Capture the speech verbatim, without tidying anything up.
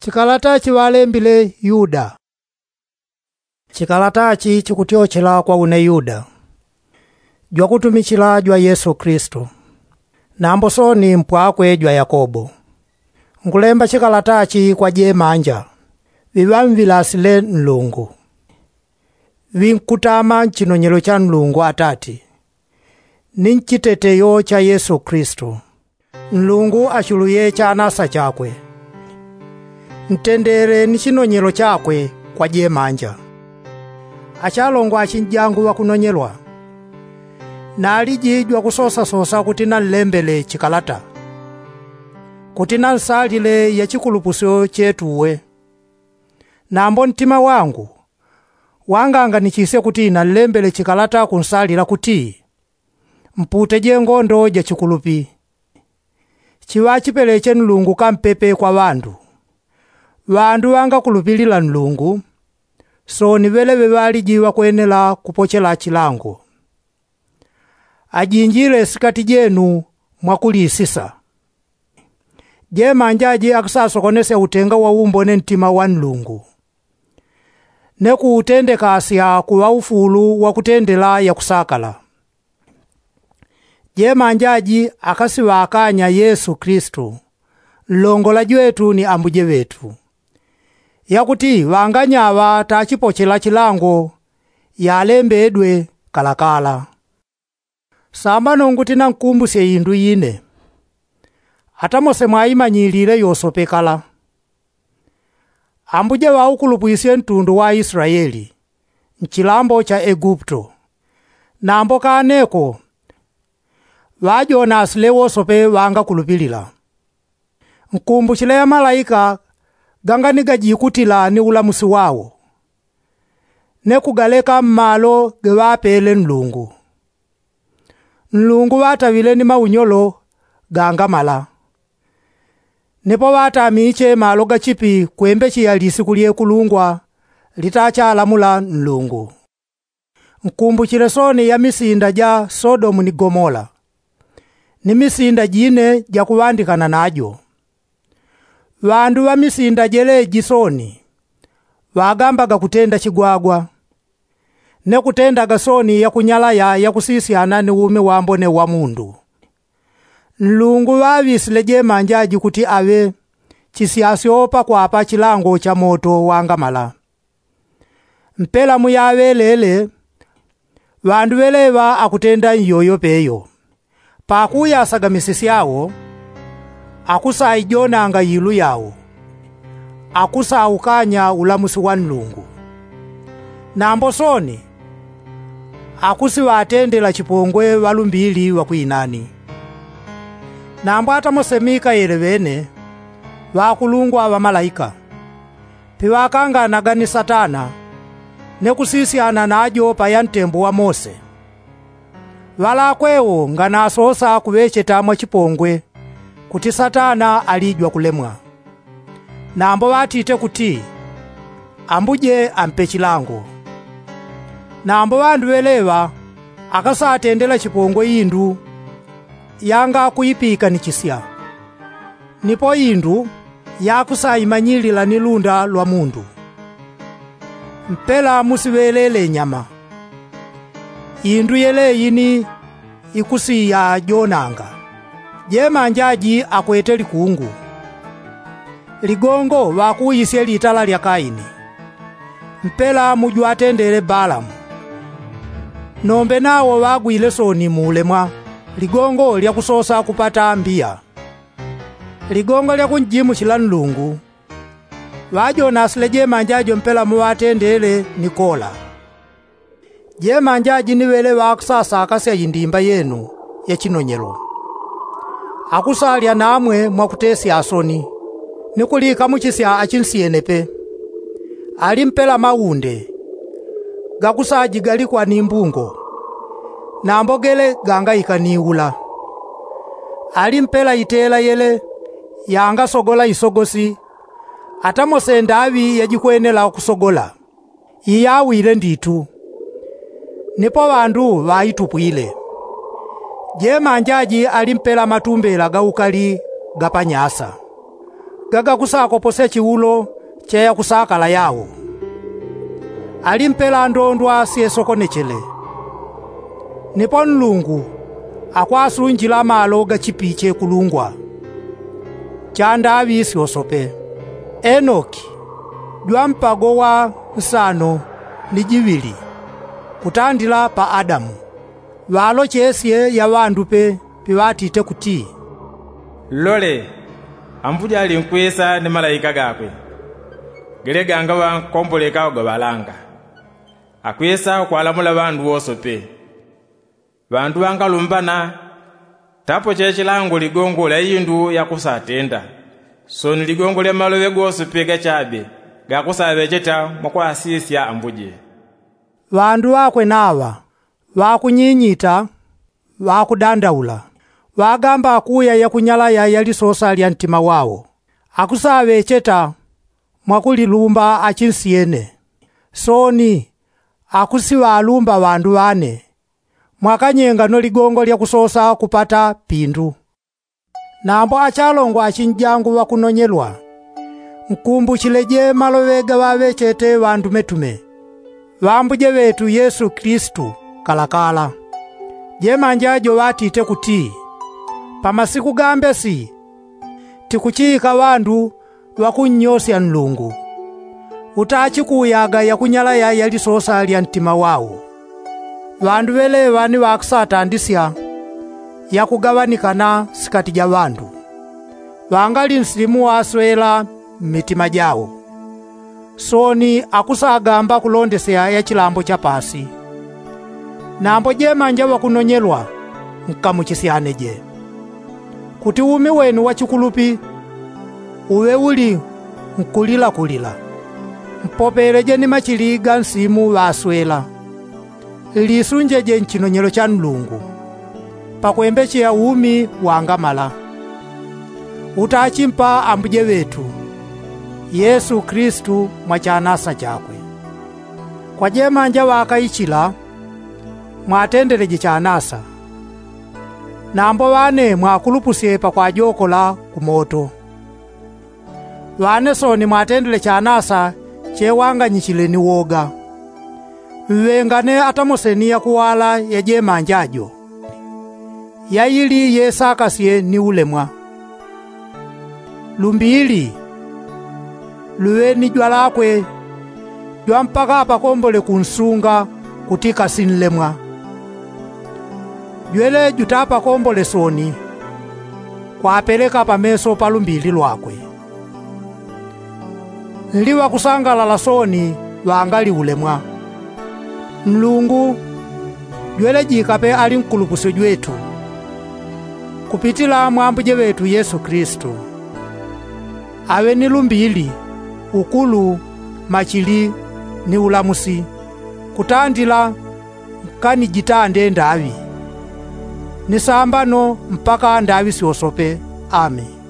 Chikalata chiŵalembile yuda. Chikalata chi chikutyochela kwa une yuda, jwakutumichila jwa yesu kilisitu, nambo soni mpwakwe jwa yakobo. Nkulemba chikalata chi kwa jemanja ŵiŵamŵilasile nlungu, ŵinkutama nchinonyelo cha nlungu atati, ni nchiteteyo cha yesu kilisitu. Nlungu achuluye chanasa chakwe. Ntendele ni chinonyelo chakwe kwa jemanja. Achalongo achinjangu ŵakunonyelwa, naliji jwakusosasosa kuti nanlembele chikalata, kuti nansalile yachikulupusyo chetuwe. Nambo ntima wangu wanganganichisye kuti nanlembele chikalata kunsalila kuti, mpute jengondo jachikulupi. Chiŵachipeleche nlungu kampepe kwa ŵandu. Ŵandu ŵangakulupilila nlungu, soni ŵeleŵe ŵaliji ŵakwenela kupochela chilango. Ajinjile sikati jenu mwakulisisa. Jemanja aji akusasokonesya utenga wa umbone ntima wa nlungu, ne kuutendekasya kuŵa ufulu wakutendela yakusakala. Jemanja aji akasiŵakanya yesu kilisitu, nlongola jwetu ni ambuje ŵetu, yakuti ŵanganyaŵa tachipochela chilango yalembedwe kalakala. Sambano nguti nankumbusye indu ine, ata mose mwaimanyilile yosope kala. Ambuje ŵaukulupwisye ntundu wa israeli nchilambo cha egupto, nambo kaneko ŵajonasile wosope ŵangakulupilila. Nkumbuchile yamalaika ganganigajikutila ni ulamusi wao, ne kugaleka mmalo geŵapele nlungu. Nlungu ŵataŵile ni maunyolo gangamala, nipo ŵatamiche malo gachipi kwembecheya lisiku lyekulungwa litachalamula nlungu. Nkumbuchile soni ya misinda ja sodomu ni gomola, ni misinda jine jakuŵandikana najo. Ŵandu ŵa misinda jeleji soni ŵagambaga kutenda chigwagwa, ne kutendaga soni yakunyalaya yakusisyana ni umi wambone wa mundu. Nlungu ŵaŵisile jemanja aji kuti aŵe chisyasyo pakwapa chilango cha moto wangamala. Mpela muyaŵelele ŵandu ŵeleŵa akutenda iyoyo peyo. Pakuyasaga misisi yao akusaijonanga ilu yao, akusaukanya ulamusi wa nlungu. Nambo soni akusiŵatendela chipongwe ŵalumbili ŵakwinani. Nambo ata mose mikaele ŵene ŵakulungwa ŵamalaika piŵakanganaga ni satana, ne kusisyana najo paya ntembo wa mose. Ŵalakwewo nganasosa kuŵecheta mwachipongwe kuti satana alijwa kulemwa. Nambo ŵatite kuti, ambuje ampe chilango. Nambo ŵandu ŵeleŵa akasatendela chipongwe indu yangakuipikanichisya, nipo indu yakusaimanyilila ni lunda lwa mundu. Mpela musiŵelele nyama. Indu yeleyi ni ikusiyajonanga. Jemanja aji akwete likungu. Ligongo ŵakuwisye litala lya kaini. Mpela mujwatendele balamu. Nombe nawo ŵagwile soni muulemwa ligongo lyakusosa kupata mbiya. Ligongo lyakunjimuchila nlungu ŵajonasile jemanja ajo mpela muŵatendele ni kola. Jemanja aji ni ŵele ŵakusasakasya indimba yenu ya chinonyelo. Akusalya namwe mwakutesya asoni ni kulikamuchisya achinsyene pe. Ali mpela maunde gakusajigalikwa ni mbungo, nambo gele gangaika ni ula. Ali mpela itela yele yangasogola isogosi ata mose ndaŵi yajikwenela kusogola. Iyawile nditu. Nipo ŵandu ŵaitupwile. Jemanja aji ali mpela matumbela ga ukali ga panyasa. gagakusakoposya chiulo cha yakusakala yao. Alimpela ndondwa syesokonechele. Nipo nlungu akwasunjila malo gachipiche kulungwa chandaŵi syosope. Enoki jwampago wa nsano ni jiŵili kutandila pa adamu. Ŵalochesye yaŵandupe piŵatite kuti, lole, ambuje alinkwisa ni malaika gakwe gele gangaŵa nkomboleka ugaŵalanga, akwisa ukwalamula ŵandu wosope. Ŵandu ŵangalumbana tapoche chilango ligongo lya indu yakusatenda, soni ligongo lya maloŵe gosope gachabe gakusaŵecheta mwakwasisya ambuje. Ŵandu ŵakwe naŵa ŵakunyinyita, ŵakudandaula, ŵagamba akuya yakunyalaya ya lisosa lya ntima wao, akusaŵecheta mwakulilumba achinsyene. Soni akusiŵalumba ŵandu ŵane, mwakanyengano ligongo lya kusosa kupata pindu. Nambo achalongo achinjangu ŵakunonyelwa, nkumbuchileje maloŵe gaŵaŵechete ŵandumetume. Ŵambuje ŵetu yesu kilisitu kalakala. Jemanja joŵatite kuti, pamasiku gambesi tikuchiika ŵandu ŵakunnyosya nlungu, utachikuyaga yakunyalaya ya lisosa lya ntima wao. Ŵandu ŵeleŵa ni ŵakusatandisya yakugaŵanikana sikati ja ŵandu, ŵangali nsilimu waswela mmitima jao. Soni akusagamba kulondesya ya chilambo cha paasi. Nambo jemanja ŵakunonyelwa, nkamuchisyaneje, kuti umi wenu wa chikulupi uŵe uli nkulilakulila. Mpopeleje ni machili ga nsimu ŵaswela. Lisunjeje nchinonyelo cha nlungu, pakwembecheya umi wangamala utachimpa ambuje ŵetu yesu kilisitu mwa chanasa chakwe. Kwa jemanja ŵakaichila, mwatendeleje chanasa. Nambo ŵane mwakulupusye pakwajokola kumoto. Ŵane soni mwatendele chanasa chewanganyichile ni woga. Mŵengane atamoseni yakuwala ya jemanja jo, yaili yesakasye ni ulemwa. Lumbili luŵe ni jwalakwe jwa mpaka apakombole kunsunga kuti kasi nlemwa. Jwele jutapakombole soni kwapeleka pameso pa lumbili lwakwe. Nli ŵakusangalala soni ŵangali ulemwa. Nlungu jwele jikape ali nkulupusyo jwetu kupitila mwa ambuje ŵetu yesu kilisitu. Aŵe ni lumbili, ukulu, machili, ni ulamusi, kutandila nkanijitande ndaŵi, ni sambano mpaka ndaŵi syosope. Ameni.